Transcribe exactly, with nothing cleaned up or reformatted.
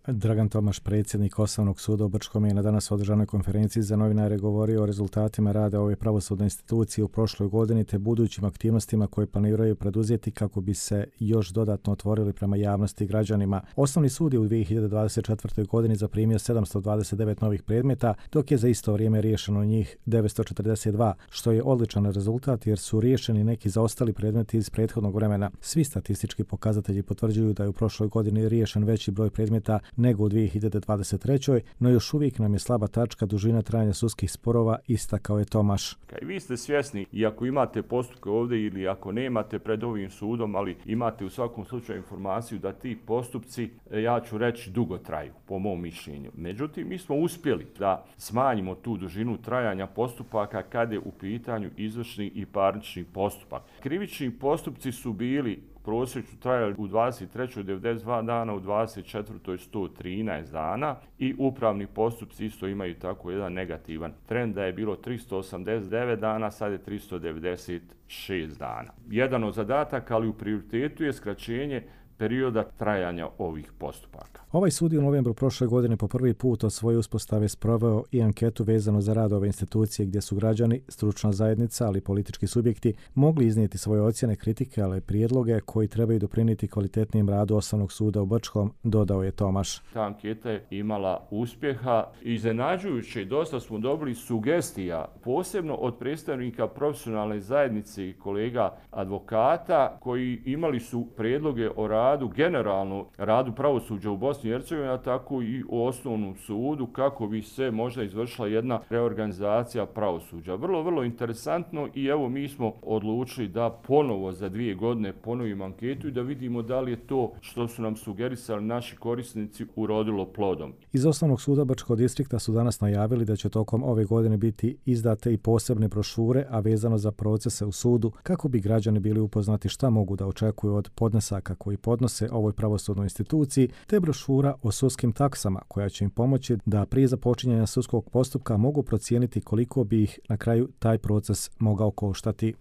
Dragan Tomaš, predsjednik Osnovnog suda u Brčkom, je na danas održanoj konferenciji za novinare govorio o rezultatima rada ove pravosudne institucije u prošloj godini te budućim aktivnostima koje planiraju preduzeti kako bi se još dodatno otvorili prema javnosti i građanima. Osnovni sud je u dvije hiljade dvadeset četvrtoj. godini zaprimio sedamsto dvadeset devet novih predmeta, dok je za isto vrijeme riješeno njih devetsto četrdeset dva, što je odličan rezultat jer su riješeni neki zaostali predmeti iz prethodnog vremena. Svi statistički pokazatelji potvrđuju da je u prošloj godini riješen veći broj predmeta nego u dvije hiljade dvadeset trećoj. No još uvijek nam je slaba tačka dužina trajanja sudskih sporova, istakao je Tomaš. I vi ste svjesni, i ako imate postupke ovdje ili ako nemate pred ovim sudom, ali imate u svakom slučaju informaciju da ti postupci, ja ću reći, dugo traju, po mom mišljenju. Međutim, mi smo uspjeli da smanjimo tu dužinu trajanja postupaka kad je u pitanju izvršni i parnični postupak. Krivični postupci su bili prosječno trajali u dvadeset trećoj devedeset dva dana, u dvadeset četvrtoj sto trinaest dana i upravni postupci isto imaju tako jedan negativan trend da je bilo tristo osamdeset devet dana, sad je tristo devedeset šest dana. Jedan od zadataka, ali u prioritetu je skraćenje perioda trajanja ovih postupaka. Ovaj sud je u novembru prošle godine po prvi put od svoje uspostave sproveo i anketu vezano za rad ove institucije gdje su građani, stručna zajednica, ali i politički subjekti mogli iznijeti svoje ocjene, kritike, ali i prijedloge koji trebaju doprinijeti kvalitetnijem radu Osnovnog suda u Brčkom, dodao je Tomaš. Ta anketa je imala uspjeha. Iznenađujuće, dosta smo dobili sugestija, posebno od predstavnika profesionalne zajednice i kolega advokata koji imali su prijedloge o radu, generalno radu pravosuđa u Bosni i Hercegovini, a tako i u Osnovnom sudu, kako bi se možda izvršila jedna reorganizacija pravosuđa. Vrlo, vrlo interesantno i evo mi smo odlučili da ponovo za dvije godine ponovimo anketu i da vidimo da li je to što su nam sugerisali naši korisnici urodilo plodom. Iz Osnovnog suda Brčkog distrikta su danas najavili da će tokom ove godine biti izdate i posebne brošure, a vezano za procese u sudu, kako bi građani bili upoznati šta mogu da očekuju od podnesaka koji podnose ovoj pravosudnoj instituciji, te brošura o sudskim taksama koja će im pomoći da prije započinjanja sudskog postupka mogu procijeniti koliko bi ih na kraju taj proces mogao koštati.